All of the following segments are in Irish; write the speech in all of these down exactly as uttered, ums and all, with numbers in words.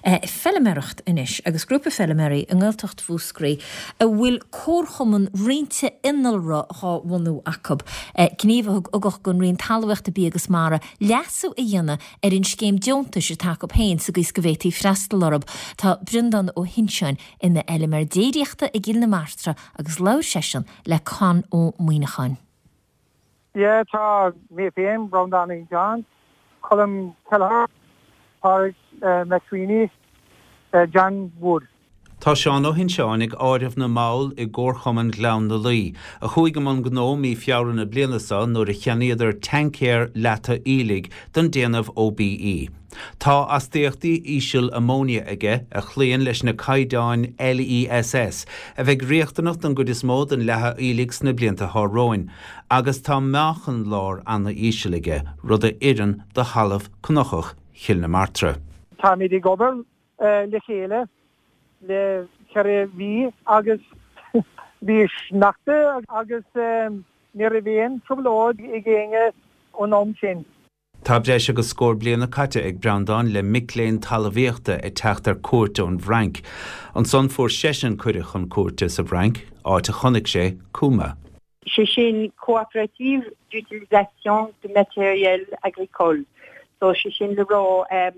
Feilméaracht anois agus grúpa feilméaraí i nGaeltacht Mhúscraí a bhfuil comharchumann roinnte innealra á bhunú acu. Gníomh a thug ugach don Roinn Talmhaíochta Bia agus Mara leasú a dhéanamh ar an scéim deontais atá acu féin sa gcaoi is go bhféadfaí freastal orthu. Tá Breandán Ó hInseáin ina fheilméara déiríochta i gCill na Martra agus labhair seisean le Conn Ó Muíneacháin. Yeah, tá mé féin Breandán Ó John, Colm Kelleher, Pádraig uh, McSweeney, uh, John Wood. Tá Seán Ó hInseáin ag áireamh na mball i gComharchumann Ghleann na Laoi, a chuaigh i mbun gnó mí Feabhra na bliana seo nuair a cheannaíodar tancaer leata aoiligh den déanamh OBE. Tá astaíochtaí íseal amóinia aige a chloíonn leis na caighdeáin LESS, a bheidh riachtanach don gcuid is mó den leathadh aoiligh sna blianta atá romhainn, agus tá meáchan láir an-íseal aige, rud a oireann do thalamh cnocach Chill na Martra. Táimid ag obair uh, le chéile le ceithre mhí agus bhí sneachta agus um, ní raibh aon trioblóid ag éinne ón am sin. Tá breis agus scór bliana caite ag Breandán le mic léinn talmhaíochta ag teacht ar cuairt ón bhFrainc. Ansan fuair seisean cuireadh chun cuairte sa bhFrainc, áit a chonaic sé CUMA. sé sin coopérative d'utilisation de matériel agricole. So sé sin le rá um,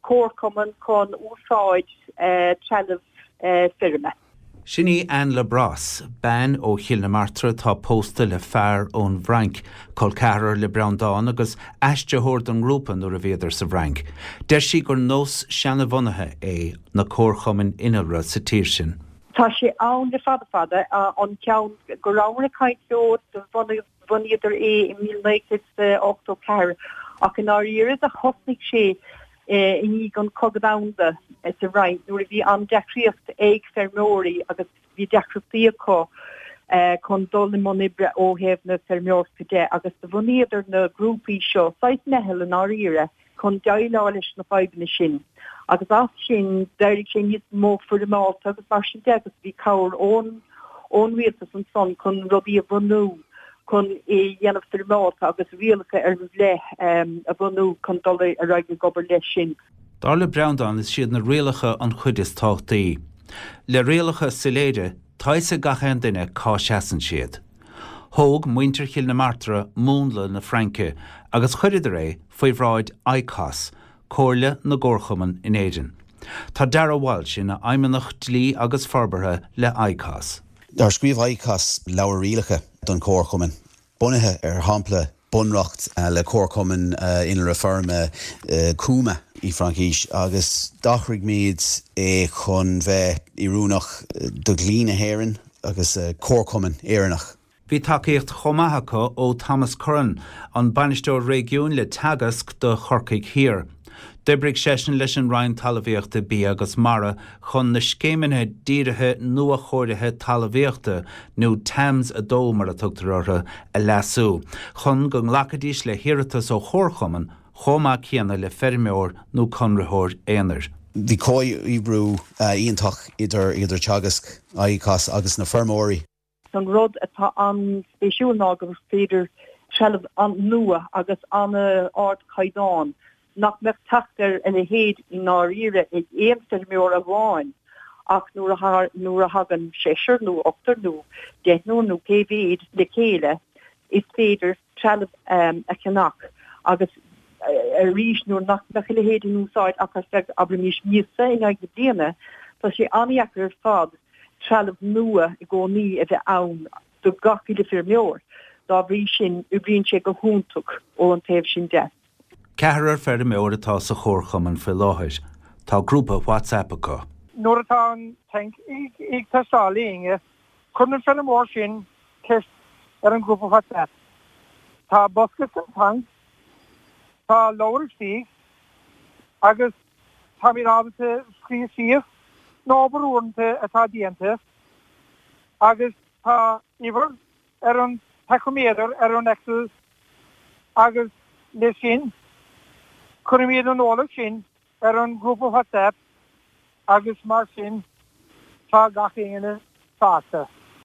comharchumann chun úsáid uh, trealamh uh, feirme. Sin í Anne Labrosse, bean ó Chill na Martra atá pósta le fear ón bhFrainc, col ceathrar le Breandán agus aistritheoir don ngrúpa nuair a bhíodar sa bhFrainc. Deir sí gur nós seanbhunaithe é na comharchumainn innealra sa tír sin. Tá sé ann le fada fada an ceann go rabhamar ag caint leo do bhunaíodar é i míle naoi gcéad ochtó ceathair ach in áirithe a thosnaigh sé i ndiaidh an Cogadh Domhanda sa Fhrainc nuair a bhí an-deacracht ag feirmeoirí agus bhí deacrachtaí acu chun dul i mbun oibre ó thaobh na feirmeoireachta de agus do bhunaíodar na grúpaí seo saghas meitheal in áirithe chun déileáil leis na fadhbanna sin. Agus as sin d'éirigh sé níos mó foirmeálta agus mar sin de agus bhí cabhair ón ón rialtas ansan chun rudaí a bhunú chun é dhéanamh foirmeálta agus rialacha ar leith um, a bhunú chun dul ar aghaidh ag obair leis sin. Dar le Breandán is iad na rialacha an chuid is tábhachtaí. Le rialacha soiléire tá a fhios ag gach aon duine cá seasann siad. Thóg muintir Chill na Martra múnla na Fraince agus chuireadar é faoi bhráid ICOS, Comhairle na gComharchumann in Éirinn. Tá Dara Walsh ina fheidhmeannach dlí agus forbartha le ICOS. Dar scríobh ICOS leabhar rialacha don chomharchumann. Bunaithe ar shampla bunreacht le comharchumann innealra feirme CUMA i Fraincis agus d'athraigh muid é chun bheith oiriúnach do dhlí na hÉireann agus comharchumann Éireannach. Bhí tacaíocht chomh maith acu ó Thomas Curran, an bainisteoir réigiúin le Teagasc do Chorcaigh Thiar. D'oibrigh seisean leis an Roinn Talmhaíochta Bia agus Mara chun na scéimeanna dírithe nuachóirithe talmhaíochta nó TAMS a dó mar a tugtar orthu a leasú, chun go nglacfaidís le hiarratas ó chomharchumann chomh maith céanna le feirmeoir nó conraitheoir aonair. Bhí comhoibriú iontach idir idir Teagasc ICOS agus na feirmeoirí. An rud atá an-spéisiúil ná gur féidir trealamh an-nua agus an-ardchaighdeán nach mbeadh teacht ar a leithéid i ndáiríre ag aon feirmeoir amháin ach nuair nuair a thagann seisear nó ochtar nó deichniúr nó pé mhéad le chéile is féidir trealamh um, a cheannach agus arís nuair nach mbeadh a leithéid in úsáid ach ar feadh abraimis míosa in aghaidh na bliana tá sé an-deacair ar fad trealamh nua i gcónaí a bheith ann do gach uile feirmeoir. Dá bhrí sin oibríonn sé go hiontach ó an taobh sin de. Ceathrar feirmeoir atá sa chomharchumann faoi láthair. Tá grúpa WhatsApp acu. Nuair atá an tanc ag teastáil uainn, cuireann an feirmeoir sin ceist ar an grúpa WhatsApp. Tá bosca san tanc, tá leabhar istigh agus táimid ábalta scríobh síos na obair uaireanta atá déanta agus tá uimhir ar an tachoméadar ar an Excel agus leis sin cuirimid an eolas sin ar an grúpa WhatsApp agus mar sin tá gach éinne sásta.